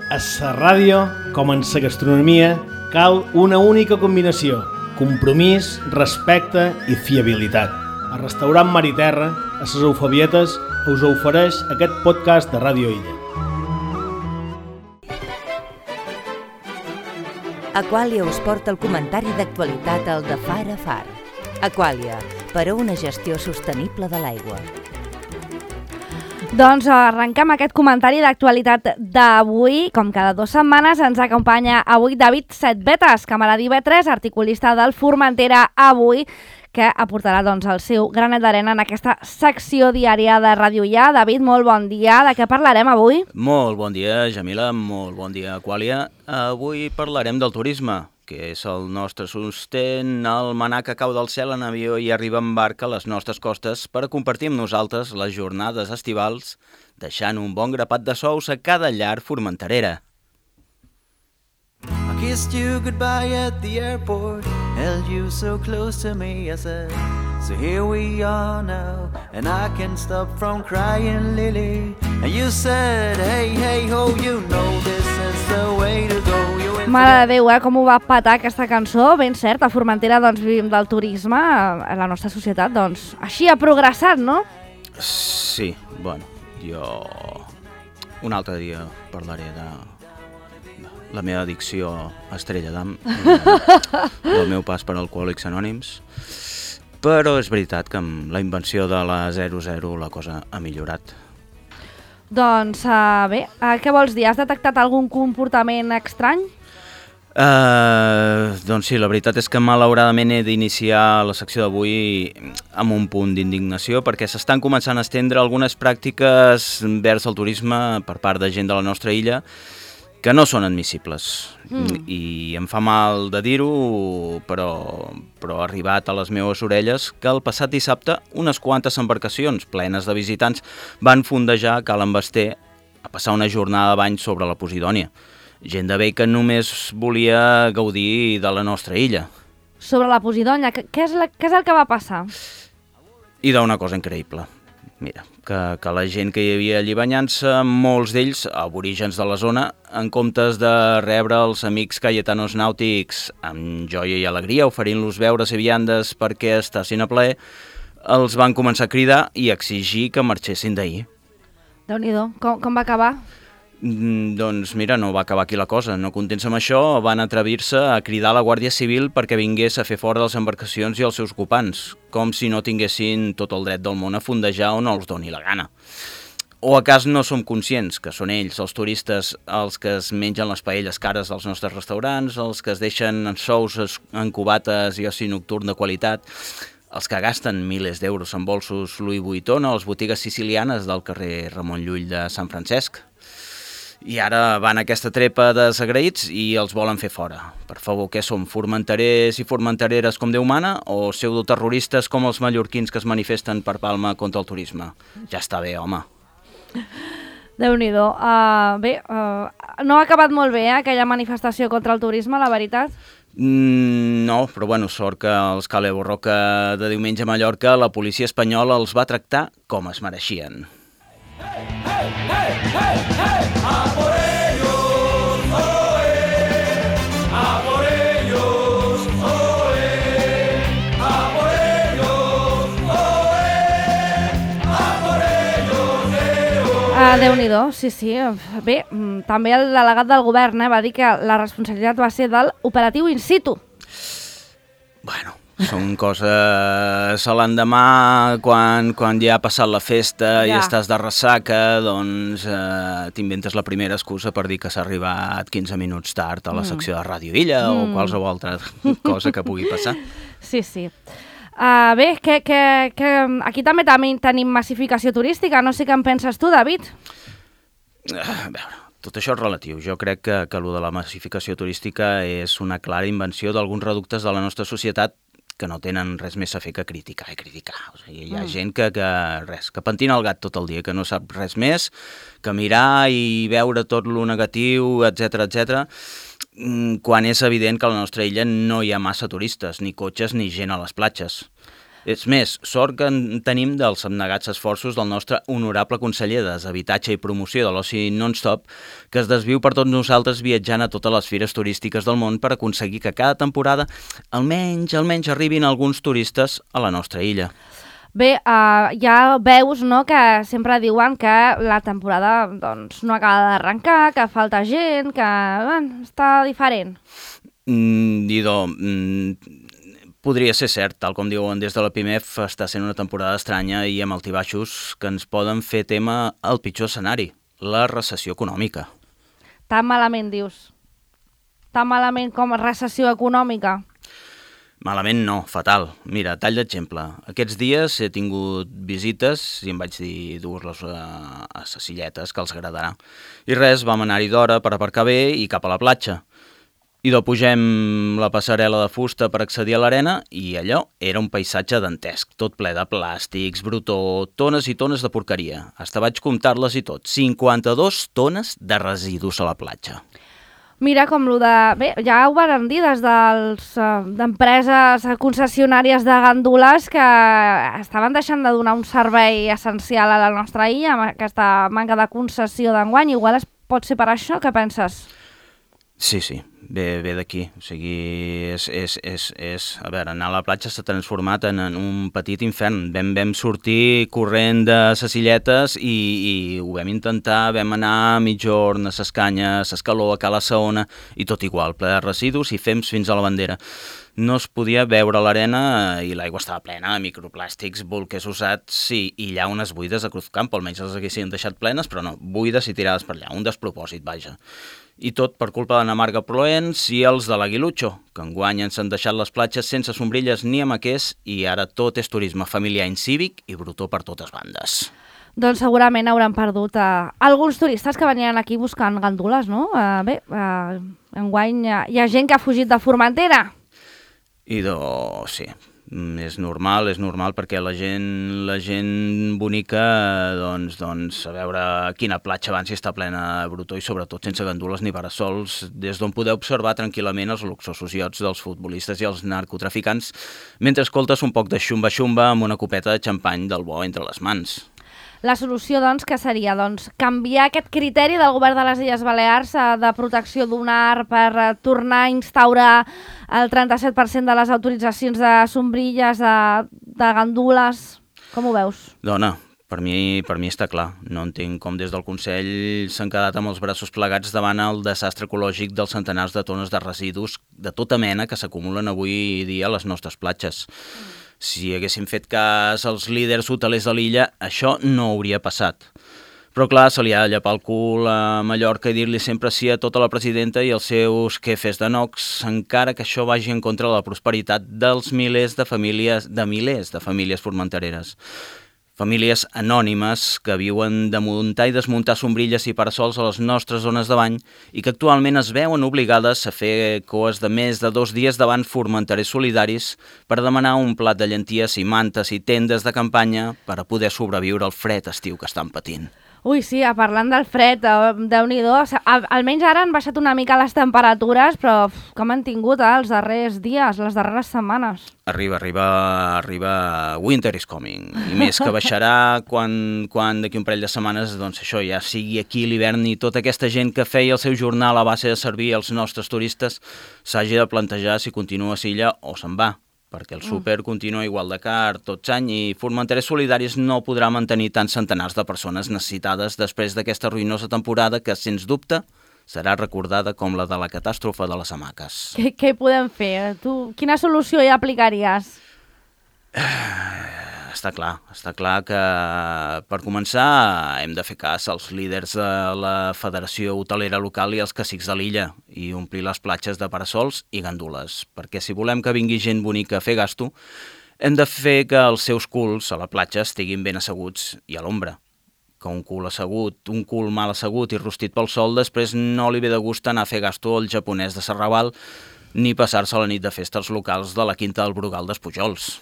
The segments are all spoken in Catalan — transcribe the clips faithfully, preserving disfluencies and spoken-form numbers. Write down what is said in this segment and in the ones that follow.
A la ràdio, com en la gastronomia, cal una única combinació: compromís, respecte i fiabilitat. El restaurant Mar i Terra, a les Eufabietes, us ofereix aquest podcast de Ràdio Illa. Aquàlia us porta el comentari d'actualitat al de Far a Far. Aquàlia, per a una gestió sostenible de l'aigua. Doncs arrenquem aquest comentari d'actualitat d'avui. Com cada dues setmanes ens acompanya avui David Setbetes, camaradí B tres, articulista del Formentera Avui, que aportarà doncs, el seu granet d'arena en aquesta secció diària de Ràdio Illa. David, molt bon dia. De què parlarem avui? Molt bon dia, Jamila. Molt bon dia, Aquàlia. Avui parlarem del turisme, que és el nostre sostén, el manar que cau del cel en avió i arriba en barca a les nostres costes per a compartir amb nosaltres les jornades estivals, deixant un bon grapat de sous a cada llar formenterera. I kissed you goodbye at the airport, held you so close to me, I said, so here we are now, and I can't stop from crying, Lily. And you said, hey, hey, ho, you know this is the way to go. You Mare de Déu, eh? Com ho va petar aquesta cançó. Ben cert, a Formentera doncs, vivim del turisme, la nostra societat doncs, així ha progressat, no? Sí, bueno, jo un altre dia parlaré de la meva addicció a Estrella d'Am, del meu pas per Alcohòlics Anònims, però és veritat que amb la invenció de la zero zero la cosa ha millorat. Doncs uh, bé, uh, què vols dir? Has detectat algun comportament estrany? Uh, doncs sí, la veritat és que malauradament he d'iniciar la secció d'avui amb un punt d'indignació perquè s'estan començant a estendre algunes pràctiques vers el turisme per part de gent de la nostra illa que no són admissibles. Mm. I em fa mal de dir-ho, però, però ha arribat a les meves orelles que el passat dissabte unes quantes embarcacions plenes de visitants van fondejar a Calen Basté a passar una jornada de bany sobre la Posidònia. Gent de bé que només volia gaudir de la nostra illa. Sobre la Posidònia, què és, la, què és el que va passar? I d'una cosa increïble. Mira, que, que la gent que hi havia allí banyant-se, molts d'ells, aborígens de la zona, en comptes de rebre els amics cayetanos nàutics amb joia i alegria, oferint-los beures i viandes perquè estassin a plaer, els van començar a cridar i exigir que marxessin d'ahir. Déu-n'hi-do, com, com va acabar? Mm, doncs mira, no va acabar aquí la cosa. No contents amb això, van atrevir-se a cridar a la Guàrdia Civil perquè vingués a fer fora de les embarcacions i els seus ocupants, com si no tinguessin tot el dret del món a fondejar on els doni la gana. O a cas no som conscients que són ells, els turistes, els que es mengen les paelles cares dels nostres restaurants, els que es deixen sous en cubates i oci nocturn de qualitat, els que gasten milers d'euros en bolsos Louis Vuitton a les botigues sicilianes del carrer Ramon Llull de Sant Francesc. I ara van a aquesta trepa de desagraïts i els volen fer fora. Per favor, què som, formenterers i formentereres com Déu mana o pseudoterroristes com els mallorquins que es manifesten per Palma contra el turisme? Ja està bé, home. Déu-n'hi-do. Uh, bé, uh, no ha acabat molt bé, eh, aquella manifestació contra el turisme, la veritat? Mm, no, però bueno, sort que els Cale Borroca de diumenge a Mallorca la policia espanyola els va tractar com es mereixien. Hey, hey, hey, hey, hey, a por ellos, oe, a por ellos, oe, a por ellos, oe, a por ellos, eh, oe. Ah, Déu-n'hi-do, sí, sí. Bé, també el delegat del govern eh, va dir que la responsabilitat va ser del operatiu in situ. Bueno, són coses a l'endemà, quan, quan ja ha passat la festa ja. I estàs de ressaca, doncs eh, t'inventes la primera excusa per dir que s'ha arribat quinze minuts tard a la mm. secció de Ràdio Illa mm. o qualsevol altra cosa que pugui passar. Sí, sí. Uh, bé, que, que, que aquí també, també tenim massificació turística, no sé què en penses tu, David? Uh, a veure, tot això és relatiu. Jo crec que, que allò de la massificació turística és una clara invenció d'alguns reductes de la nostra societat que no tenen res més a fer que criticar i criticar. O sigui, hi ha mm. gent que, que, res, que pentina el gat tot el dia, que no sap res més que mirar i veure tot lo negatiu, etcètera, etcètera, quan és evident que a la nostra illa no hi ha massa turistes, ni cotxes ni gent a les platges. És més, sort que en tenim dels abnegats esforços del nostre honorable conseller de Deshabitatge i Promoció de l'Oci Non-Stop, que es desviu per tots nosaltres viatjant a totes les fires turístiques del món per aconseguir que cada temporada almenys, almenys arribin alguns turistes a la nostra illa. Bé, uh, ja veus, no?, que sempre diuen que la temporada doncs, no acaba d'arrencar, que falta gent, que bueno, està diferent. Mm, Idò, mm, podria ser cert, tal com diuen des de la P I M E F, està sent una temporada estranya i amb altibaixos que ens poden fer tema al pitjor escenari, la recessió econòmica. Tan malament, dius? Tan malament com recessió econòmica? Malament no, fatal. Mira, tall d'exemple. Aquests dies he tingut visites i em vaig dir dur-los a, a ses illetes, que els agradarà. I res, vam anar-hi d'hora per aparcar bé i cap a la platja. I do pugem la passarel·la de fusta per accedir a l'arena i allò era un paisatge dantesc, tot ple de plàstics, brutó, tones i tones de porqueria. Hasta vaig comptar-les i tot. cinquanta-dos tones de residus a la platja. Mira com lo de... Bé, ja ho van dir des dels uh, d'empreses concessionàries de gandules que estaven deixant de donar un servei essencial a la nostra illa amb aquesta manca de concessió d'enguany. Igual es pot ser per això, què penses? Sí, sí, ve, ve d'aquí. O sigui, és, és, és, és... A veure, anar a la platja s'ha transformat en, en un petit infern. Vam, vam sortir corrent de ses illetes i, i ho vam intentar, vam anar a mitjorn, a ses canyes, a Escaló, a Cala Saona, i tot igual, ple de residus i fems fins a la bandera. No es podia veure l'arena i l'aigua estava plena de microplàstics, bolquers usats i, i llaunes buides a Cruzcampo, almenys les haguessin deixat plenes, però no, buides i tirades per allà, un despropòsit, vaja. I tot per culpa de Namarga Proens i els de l'Aguilutxo, que enguany ens han deixat les platges sense sombrilles ni amaquers i ara tot és turisme familiar incívic i brutó per totes bandes. Doncs segurament hauran perdut uh, alguns turistes que venien aquí buscant gandules, no? Uh, bé, uh, enguany uh, hi ha gent que ha fugit de Formentera. I do, sí, és normal, és normal perquè la gent, la gent bonica, doncs, doncs, a veure quina platja abans hi està plena de brutó i sobretot sense gandules ni parasols, des d'on podeu observar tranquil·lament els luxosos iots dels futbolistes i els narcotraficants mentre escoltes un poc de xumba-xumba amb una copeta de xampany del bo entre les mans. La solució, doncs, que seria doncs, canviar aquest criteri del govern de les Illes Balears eh, de protecció dunar per eh, tornar a instaurar el trenta-set per cent de les autoritzacions de sombrilles, de, de gandules. Com ho veus? Dona, per mi, per mi està clar. No entenc com des del Consell s'han quedat amb els braços plegats davant el desastre ecològic dels centenars de tones de residus de tota mena que s'acumulen avui dia a les nostres platges. Mm. Si haguéssim fet cas als líders hotelers de l'illa, això no hauria passat. Però clar, se li ha de llepar el cul a Mallorca i dir-li sempre sí a tota la presidenta i els seus quefes de nox, encara que això vagi en contra de la prosperitat dels milers de famílies, de milers de famílies formentereres. Famílies anònimes que viuen de muntar i desmuntar sombrilles i parasols a les nostres zones de bany i que actualment es veuen obligades a fer coes de més de dos dies davant formenterers solidaris per demanar un plat de llenties i mantes i tendes de campanya per a poder sobreviure al fred estiu que estan patint. Ui, sí, parlant del fred, Déu-n'hi-do, almenys ara han baixat una mica les temperatures, però uf, com han tingut eh, els darrers dies, les darreres setmanes? Arriba, arriba, arriba, winter is coming. I més que baixarà quan, quan d'aquí un parell de setmanes, doncs això, ja sigui aquí l'hivern i tota aquesta gent que feia el seu jornal a base de servir als nostres turistes s'hagi de plantejar si continua a Silla o se'n va, perquè el súper continua igual de car tots any i Formenterers Solidaris no podrà mantenir tants centenars de persones necessitades després d'aquesta ruïnosa temporada que, sens dubte, serà recordada com la de la catàstrofe de les hamaques. Què, què podem fer? Tu, quina solució hi aplicaries? Està clar, està clar que per començar hem de fer cas als líders de la Federació Hotelera Local i als cacics de l'illa i omplir les platges de parasols i gandules, perquè si volem que vingui gent bonica a fer gasto, hem de fer que els seus culs a la platja estiguin ben asseguts i a l'ombra. Que un cul assegut, un cul mal assegut i rostit pel sol, després no li ve de gust anar a fer gasto al japonès de Serraval ni passar-se la nit de festes locals de la Quinta del Brugal d'Espujols.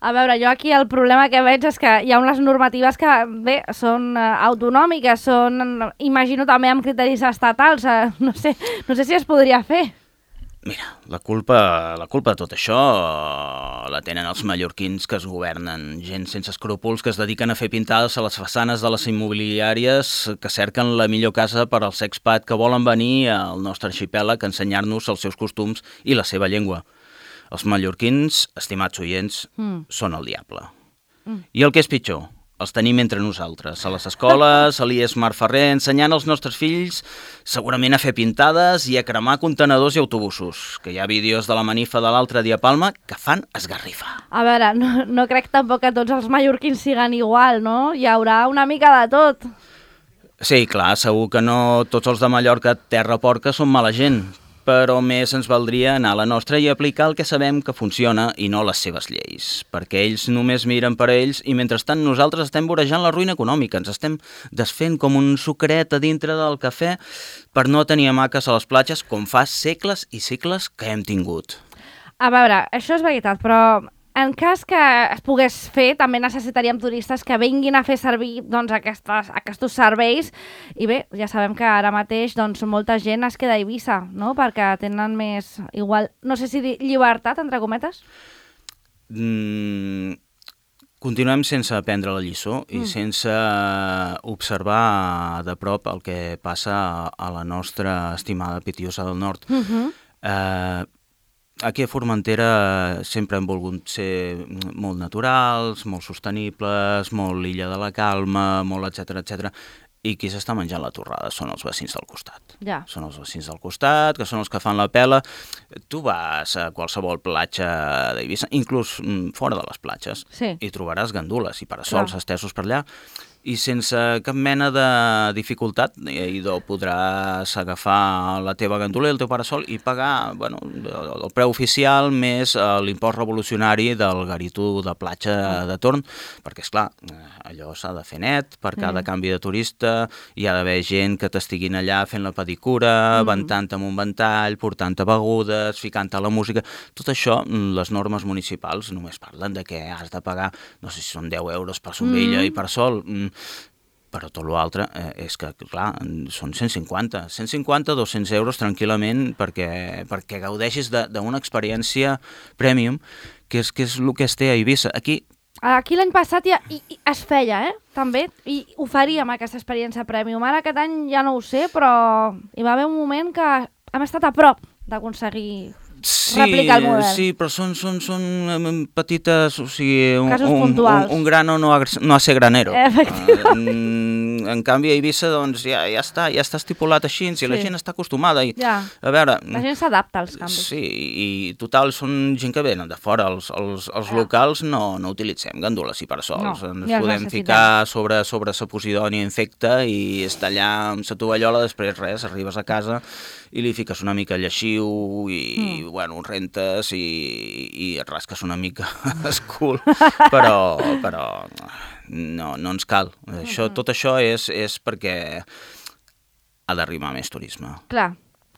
A veure, jo aquí el problema que veig és que hi ha unes normatives que, bé, són uh, autonòmiques, són, imagino, també amb criteris estatals. Uh, no sé, no sé si es podria fer. Mira, la culpa, la culpa de tot això la tenen els mallorquins que es governen, gent sense escrúpols que es dediquen a fer pintades a les façanes de les immobiliàries que cerquen la millor casa per als expats que volen venir al nostre arxipèlag a ensenyar-nos els seus costums i la seva llengua. Els mallorquins, estimats oients, mm. són el diable. Mm. I el que és pitjor, els tenim entre nosaltres, a les escoles, a l'I E S Mar Ferrer, ensenyant als nostres fills segurament a fer pintades i a cremar contenedors i autobusos, que hi ha vídeos de la manifa de l'altre dia a Palma que fan esgarrifa. A veure, no, no crec tampoc que tots els mallorquins siguen igual, no? Hi haurà una mica de tot. Sí, clar, segur que no tots els de Mallorca, terra porca, són mala gent, però més ens valdria anar a la nostra i aplicar el que sabem que funciona i no les seves lleis, perquè ells només miren per a ells i mentrestant nosaltres estem vorejant la ruïna econòmica, ens estem desfent com un sucret a dintre del cafè per no tenir hamaques a les platges com fa segles i segles que hem tingut. A veure, això és veritat, però en cas que es pogués fer, també necessitaríem turistes que vinguin a fer servir doncs, aquestes, aquests serveis i bé, ja sabem que ara mateix doncs, molta gent es queda a Eivissa, no? Perquè tenen més, igual, no sé si dir llibertat, entre cometes? Mm, continuem sense aprendre la lliçó i mm. sense observar de prop el que passa a la nostra estimada Pitiusa del Nord. Mm-hmm. Eh... Aquí a Formentera sempre hem volgut ser molt naturals, molt sostenibles, molt l'illa de la calma, molt etcètera, etcètera. I qui s'està menjant la torrada són els vecins del costat. Ja. Són els vecins del costat, que són els que fan la pela. Tu vas a qualsevol platja d'Eivissa, inclús fora de les platges, sí. i trobaràs gandules i parasols estesos per allà. I sense cap mena de dificultat, idò, podràs agafar la teva gandula i el teu parasol i pagar bueno, el preu oficial més l'impost revolucionari del garitú de platja de torn, perquè, esclar, allò s'ha de fer net, per cada mm. canvi de turista hi ha d'haver gent que t'estiguin allà fent la pedicura, mm. ventant amb un ventall, portant-te begudes, ficant-te la música. Tot això, les normes municipals només parlen de que has de pagar, no sé si són deu euros per sombrilla mm. i per sol, però tot l'altre eh, és que, clar, són cent cinquanta, cent cinquanta, dos-cents euros tranquil·lament perquè, perquè gaudeixis d'una experiència premium, que és, que és el que es té a Eivissa. Aquí Aquí l'any passat ja i, i es feia, eh? També, i oferíem aquesta experiència premium. Ara aquest any ja no ho sé, però hi va haver un moment que hem estat a prop d'aconseguir sí, replicar el model. Sí, però són, són, són petites, o sigui, un, casos un, puntuals. Un, un grano no ha, no ha ser granero. Efectivament. En, en canvi, a Eivissa, doncs, ja, ja, està, ja està estipulat així, i sí. la gent està acostumada. I, ja. A veure... La gent s'adapta als canvis. Sí, i total, són gent que venen de fora. Els, els, els ja. locals no, no utilitzem gandules i parasols. No, ens ja podem ficar sobre, sobre sa posidònia infecta i estar allà amb sa tovallola, després res, arribes a casa i li fiques una mica lleixiu i, mm. bueno, rentes i, i et rasques una mica escul, però, però no, no ens cal. Això, tot això és, és perquè ha d'arribar més turisme. Clar,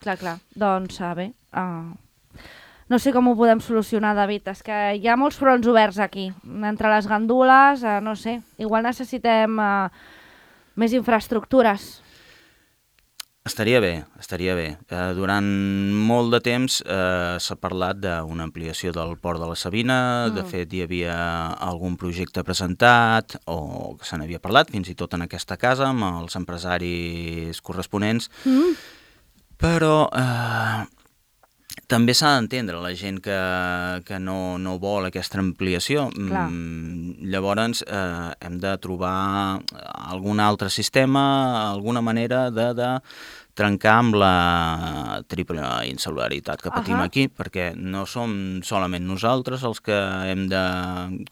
clar, clar. Doncs, uh, bé, uh, no sé com ho podem solucionar, David. És que hi ha molts fronts oberts aquí. Entre les gandules, uh, no sé, igual necessitem uh, més infraestructures. Estaria bé, estaria bé. Eh, durant molt de temps eh, s'ha parlat d'una ampliació del port de la Sabina, mm. de fet hi havia algun projecte presentat o que se n'havia parlat, fins i tot en aquesta casa, amb els empresaris corresponents, mm. però eh, també s'ha d'entendre la gent que, que no, no vol aquesta ampliació. Mm, llavors eh, hem de trobar algun altre sistema, alguna manera de, de trencar amb la triple insolidaritat que patim uh-huh. aquí, perquè no som solament nosaltres els que hem de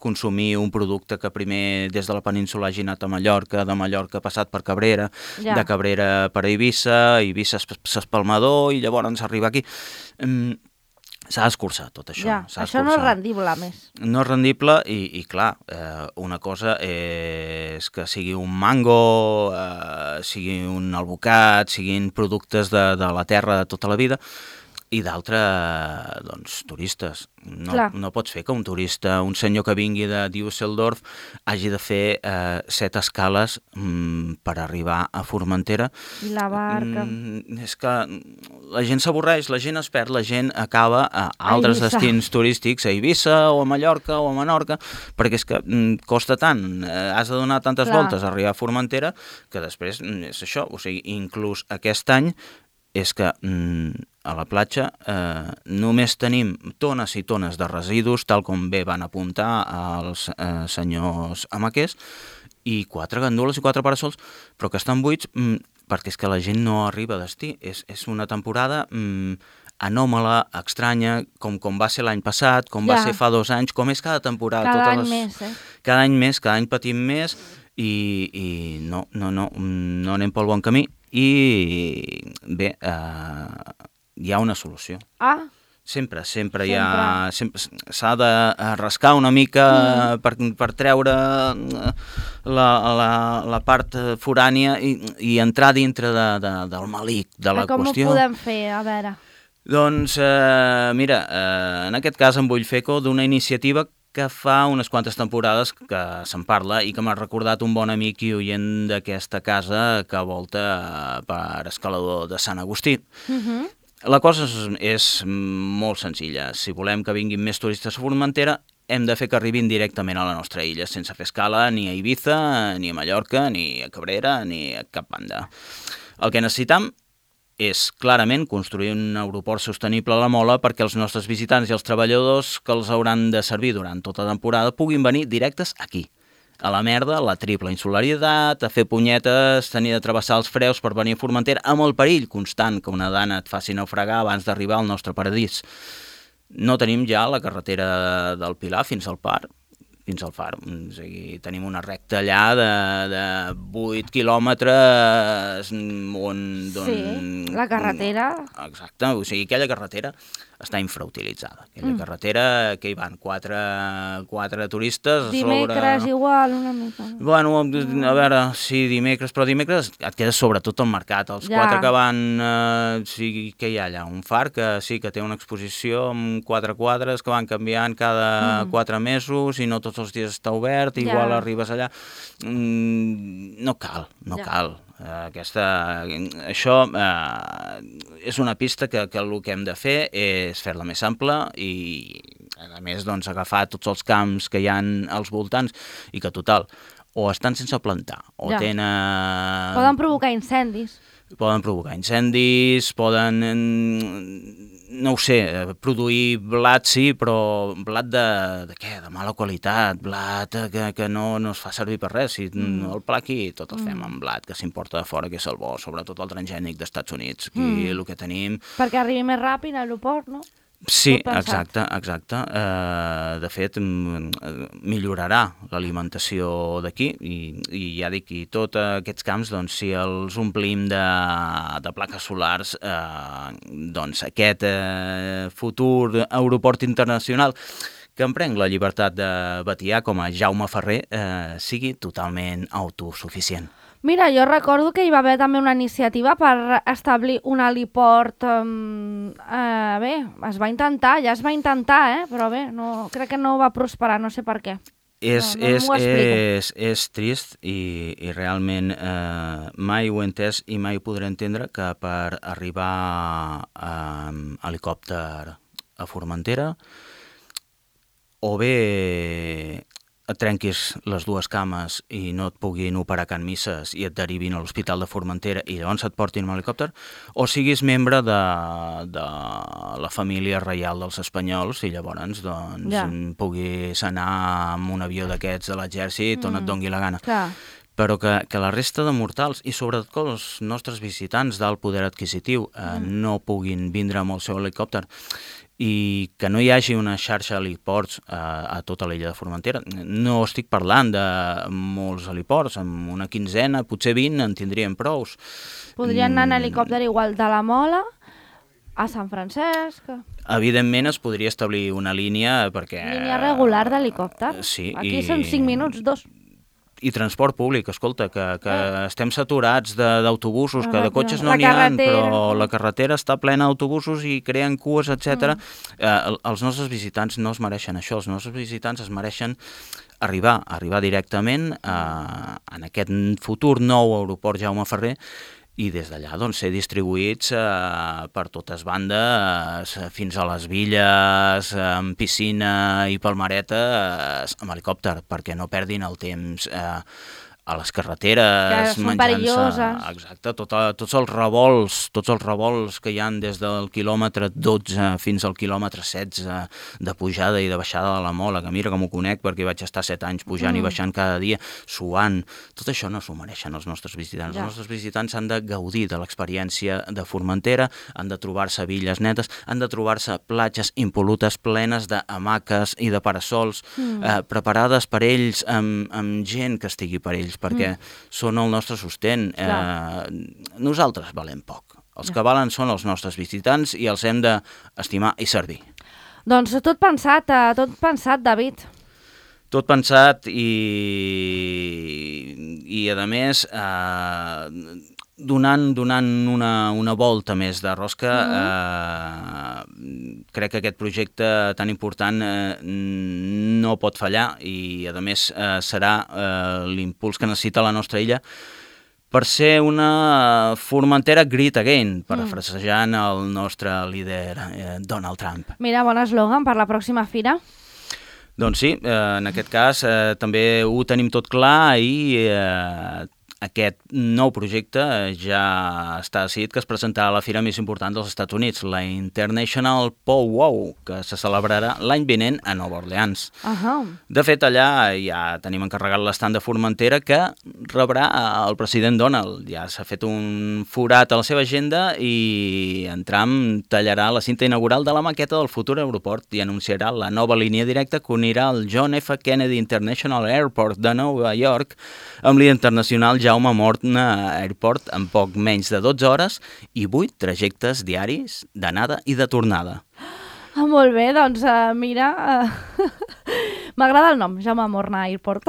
consumir un producte que primer des de la península hagi anat a Mallorca, de Mallorca ha passat per Cabrera, ja. de Cabrera per Eivissa, Eivissa s'espalmador i llavors arriba aquí. Mm, s'ha d'escurçar tot això. Ja, això no és rendible, més. No és rendible i, i clar, eh, una cosa és que sigui un mango, eh, sigui un albocat, siguin productes de, de la terra de tota la vida, i d'altre, doncs, turistes. No, Clar. no pots fer que un turista, un senyor que vingui de Düsseldorf, hagi de fer eh, set escales mm, per arribar a Formentera. I la barca. Mm, és que la gent s'avorreix, la gent es perd, la gent acaba a altres Eivissa. destins turístics, a Eivissa o a Mallorca o a Menorca, perquè és que mm, costa tant, eh, has de donar tantes Clar. voltes a arribar a Formentera, que després mm, és això, o sigui, inclús aquest any és que mm, a la platja eh, només tenim tones i tones de residus, tal com bé van apuntar els eh, senyors amaquers, i quatre gandules i quatre parasols, però que estan buits mm, perquè és que la gent no arriba a destí. És, és una temporada mm, anòmala, estranya, com, com va ser l'any passat, com Ja. va ser fa dos anys, com és cada temporada. Cada totes any les... més, eh? Cada any més, cada any patim més, i, i no, no, no, no anem pel bon camí. I bé, eh, hi ha una solució. Ah, Sempre, sempre hi ha... sempre S'ha de rascar una mica mm. per, per treure la, la, la part forània i, i entrar dintre de, de, del malic de la com qüestió. ho podem fer? A veure. Doncs, eh, mira, eh, en aquest cas em vull fer eco d'una iniciativa que fa unes quantes temporades que se'n parla i que m'ha recordat un bon amic i oient d'aquesta casa que volta per escalador de Sant Agustí. Uh-huh. La cosa és, és molt senzilla. Si volem que vinguin més turistes a Formentera, hem de fer que arribin directament a la nostra illa, sense fer escala ni a Eivissa, ni a Mallorca, ni a Cabrera, ni a cap banda. El que necessitam és clarament construir un aeroport sostenible a la Mola perquè els nostres visitants i els treballadors que els hauran de servir durant tota la temporada puguin venir directes aquí, a la merda, la triple insularitat, a fer punyetes, tenir de travessar els freus per venir a Formentera amb el perill constant que una dana et faci naufragar abans d'arribar al nostre paradís. No tenim ja la carretera del Pilar fins al Par, fins al Far. O sigui, tenim una recta allà de, de vuit quilòmetres on... Sí, la carretera. Exacte, o sigui, aquella carretera està infrautilitzada. Aquella mm. carretera que hi van quatre, quatre turistes... Dimecres sobre... igual, una mica. Bueno, a veure, sí, dimecres, però dimecres et quedes sobretot al mercat. Els Ja. quatre que van... Eh, sí, què hi ha allà? Un far que sí, que té una exposició amb quatre quadres que van canviant cada mm. quatre mesos i no tots els dies està obert, Ja. igual arribes allà. Mm, no cal, no Ja. cal. Aquesta, això eh, és una pista que, que el que hem de fer és fer-la més ampla i a més doncs, agafar tots els camps que hi ha als voltants i que total o estan sense plantar o Ja. tenen... Poden provocar incendis. Poden provocar incendis, poden, no ho sé, produir blat, sí, però blat de, de què? De mala qualitat, blat que, que no, no es fa servir per res. Si mm. el pla aquí tot el fem amb blat, que s'importa de fora, que és el bo, sobretot el transgènic d'Estats Units. Aquí mm. el que tenim... Perquè arribi més ràpid a l'aeroport, no? Sí, Tot pensat. exacte, exacte. Uh, de fet, mm, millorarà l'alimentació d'aquí i, i ja dic, i tots aquests camps, doncs, si els omplim de, de plaques solars, uh, doncs aquest uh, futur aeroport internacional que em prenc la llibertat de batiar com a Jaume Ferrer uh, sigui totalment autosuficient. Mira, jo recordo que hi va haver també una iniciativa per establir un heliport. Um, uh, bé, es va intentar, ja es va intentar, eh? Però bé, no, crec que no va prosperar, no sé per què. És, no, no és, m'ho explico. és, és trist i, i realment eh, mai ho he entès i mai ho podré entendre que per arribar amb helicòpter a Formentera o bé et trenquis les dues cames i no et puguin operar a Can Misses i et derivin a l'Hospital de Formentera i llavors et portin amb helicòpter, o siguis membre de, de la família reial dels espanyols i llavors doncs, Ja. puguis anar amb un avió d'aquests de l'exèrcit on Mm. et dongui la gana. Clar. Però que, que la resta de mortals i sobretot que els nostres visitants d'alt poder adquisitiu eh, Mm. no puguin vindre amb el seu helicòpter i que no hi hagi una xarxa d'heliports eh, a tota l'illa de Formentera. No estic parlant de molts heliports, amb una quinzena, potser vint, en tindríem prous. Podrien anar en Mm, helicòpter igual de la Mola a Sant Francesc. Evidentment es podria establir una línia perquè... Línia regular d'helicòpter. Sí, Aquí i- són cinc minuts, dos. I transport públic, escolta, que, que eh. estem saturats d'autobusos, que de cotxes no La n'hi ha, carretera. però la carretera està plena d'autobusos i creen cues, etcètera. Mm. Eh, els nostres visitants no es mereixen això, els nostres visitants es mereixen arribar, arribar directament a, en aquest futur nou aeroport Jaume Ferrer i des d'allà doncs, ser distribuïts eh, per totes bandes, eh, fins a les villes, eh, amb piscina i palmereta, eh, amb helicòpter, perquè no perdin el temps eh, a les carreteres, menjant-se... Exacte, tot, tots els revolts, tots els revolts que hi han des del quilòmetre dotze fins al quilòmetre setze de pujada i de baixada de la Mola, que mira com ho conec perquè vaig estar set anys pujant mm. i baixant cada dia, suant. Tot això no s'ho mereixen els nostres visitants. Ja. Els nostres visitants han de gaudir de l'experiència de Formentera, han de trobar-se villes netes, han de trobar-se platges impolutes plenes d'hamaques i de parasols, mm. eh, preparades per ells, amb, amb gent que estigui per ells, perquè mm. són el nostre sostén. Eh, nosaltres valem poc. Els que valen són els nostres visitants i els hem d'estimar i servir. Doncs tot pensat, eh, tot pensat, David. Tot pensat i, i a més, eh, donant, donant una, una volta més de rosca, mm-hmm. eh, crec que aquest projecte tan important eh, no pot fallar i, a més, eh, serà eh, l'impuls que necessita la nostra illa per ser una Formentera Great Again, parafrasejant el nostre líder eh, Donald Trump. Mira, bon eslògan per la pròxima fira. Doncs sí, eh, en aquest cas eh, també ho tenim tot clar i eh, aquest nou projecte ja està decidit que es presentarà a la fira més important dels Estats Units, la International Powwow, que se celebrarà l'any vinent a Nova Orleans. Uh-huh. De fet, allà ja tenim encarregat l'estand de Formentera que rebrà el president Donald. Ja s'ha fet un forat a la seva agenda i en Trump tallarà la cinta inaugural de la maqueta del futur aeroport i anunciarà la nova línia directa que unirà el John F. Kennedy International Airport de Nova York amb l'internacional Jaume Morna Airport en poc menys de dotze hores i vuit trajectes diaris d'anada i de tornada. Ah, molt bé, doncs uh, mira, uh, m'agrada el nom, Jaume Morna Airport.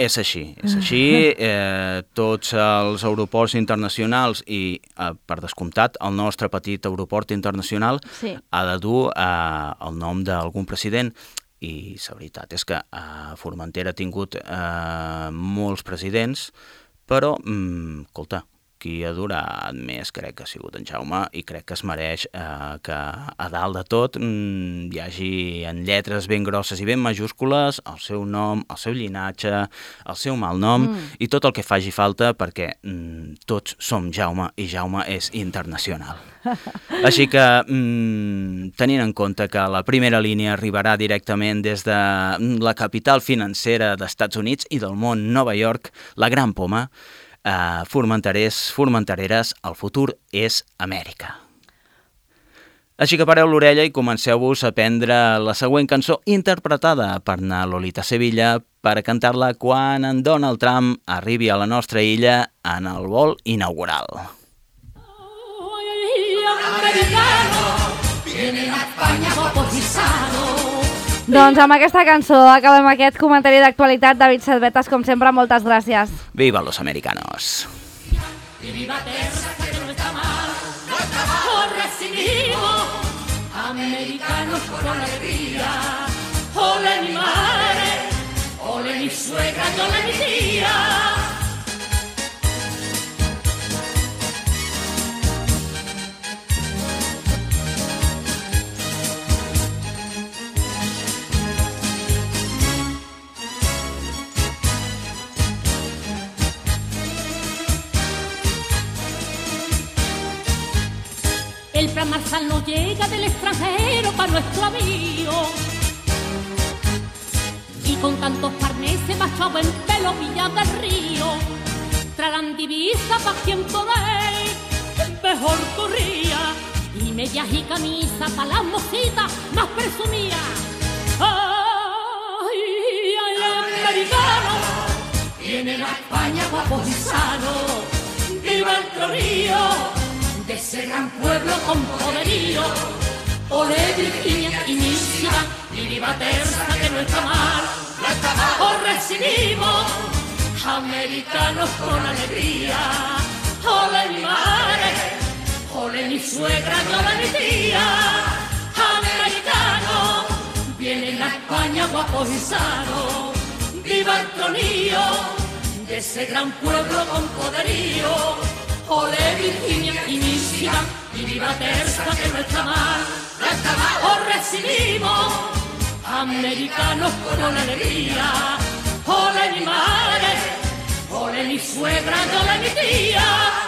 És així, és així. Eh, tots els aeroports internacionals i, eh, per descomptat, el nostre petit aeroport internacional sí. ha de dur eh, el nom d'algun president. I la veritat és que eh, Formentera ha tingut eh, molts presidents, però, mm, escolta, qui ha durat més crec que ha sigut en Jaume i crec que es mereix eh, que a dalt de tot mm, hi hagi en lletres ben grosses i ben majúscules el seu nom, el seu llinatge, el seu malnom mm. i tot el que faci falta perquè mm, tots som Jaume i Jaume és internacional. Així que, mm, tenint en compte que la primera línia arribarà directament des de la capital financera dels Estats Units i del món, Nova York, la Gran Poma, eh, formenterers, formentereres, el futur és Amèrica. Així que pareu l'orella i comenceu-vos a aprendre la següent cançó interpretada per na Lolita Sevilla per cantar-la quan en Donald Trump arribi a la nostra illa en el vol inaugural. Doncs amb aquesta cançó acabem aquest comentari d'actualitat. David Setbetas, com sempre, moltes gràcies. Viva los americanos. Y viva Terra, que no está mal, no está mal. Os recibimos, americanos con alegría. Ole mi madre, ole mi suegra y ole mi tía. El plan Marshall no llega del extranjero para nuestro avión. Y con tantos parneses machados en pelo Villa del Río, traerán divisa pa' quien poder mejor corría. Y medias y camisas pa' las mocitas más presumidas. ¡Ay, ay, americano! Vienen a España guapos y sanos. ¡Viva el Trorío! De ese gran pueblo con poderío, ole Virginia y Michigan, y viva Terza, que no está mal. No está mal. Os recibimos, americanos con alegría. Ole mi madre, ole mi suegra, ole mi tía. Americanos, vienen a España guapos y sanos. Viva el tronío de ese gran pueblo con poderío. Ole Virginia y Michigan, y viva Terza, que no está mal. No está mal. Os recibimos, americanos con alegría. Ole mi madre, ole mi suegra, ole mi tía.